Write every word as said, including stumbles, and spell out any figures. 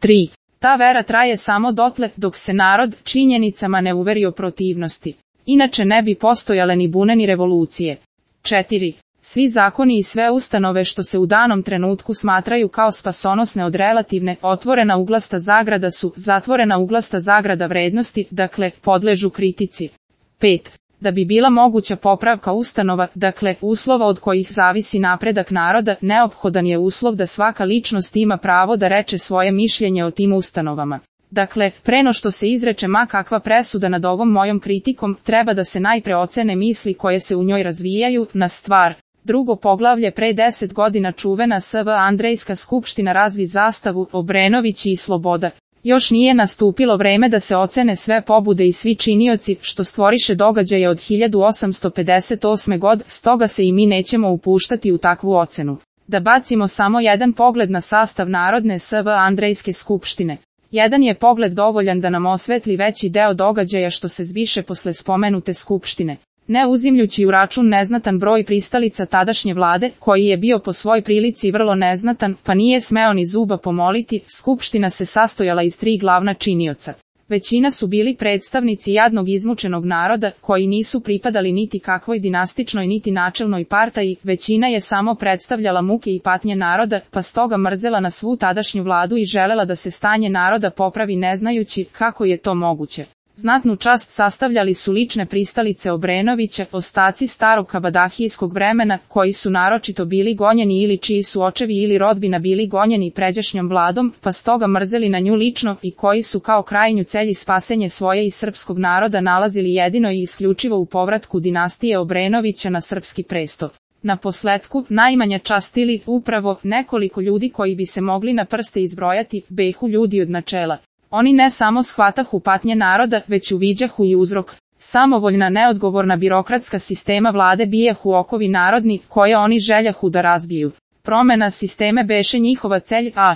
tri. Ta vera traje samo dotle dok se narod činjenicama ne uveri o protivnosti. Inače ne bi postojale ni bune ni revolucije. četiri. Svi zakoni i sve ustanove što se u danom trenutku smatraju kao spasonosne od relativne, otvorena uglasta zagrada su zatvorena uglasta zagrada vrednosti, dakle, podležu kritici. pet. Da bi bila moguća popravka ustanova, dakle, uslova od kojih zavisi napredak naroda, neophodan je uslov da svaka ličnost ima pravo da reče svoje mišljenje o tim ustanovama. Dakle, pre no što se izreče ma kakva presuda nad ovom mojom kritikom, treba da se najpre ocene misli koje se u njoj razvijaju na stvar. Drugo poglavlje pre deset godina čuvena S V Andrejska skupština razvi zastavu Obrenovići i Sloboda. Još nije nastupilo vreme da se ocene sve pobude i svi činioci što stvoriše događaje od hiljadu osamsto pedeset osme. god, stoga se i mi nećemo upuštati u takvu ocenu. Da bacimo samo jedan pogled na sastav Narodne S V Andrejske skupštine. Jedan je pogled dovoljan da nam osvetli veći deo događaja što se zbiše posle spomenute skupštine. Ne uzimljući u račun neznatan broj pristalica tadašnje vlade, koji je bio po svoj prilici vrlo neznatan, pa nije smeo ni zuba pomoliti, skupština se sastojala iz tri glavna činioca. Većina su bili predstavnici jadnog izmučenog naroda, koji nisu pripadali niti kakvoj dinastičnoj niti načelnoj partaji, većina je samo predstavljala muke i patnje naroda, pa stoga mrzela na svu tadašnju vladu i želela da se stanje naroda popravi ne znajući kako je to moguće. Znatnu čast sastavljali su lične pristalice Obrenovića, ostaci starog kabadahijskog vremena, koji su naročito bili gonjeni ili čiji su očevi ili rodbina bili gonjeni pređašnjom vladom, pa stoga mrzeli na nju lično i koji su kao krajnju celj i spasenje svoje i srpskog naroda nalazili jedino i isključivo u povratku dinastije Obrenovića na srpski presto. Na posletku, najmanja čast ili, upravo, nekoliko ljudi koji bi se mogli na prste izbrojati, behu ljudi od načela. Oni ne samo shvatahu patnje naroda, već uviđahu i uzrok. Samovoljna neodgovorna birokratska sistema vlade bijehu okovi narodni, koje oni željahu da razbiju. Promena sisteme beše njihova celj, a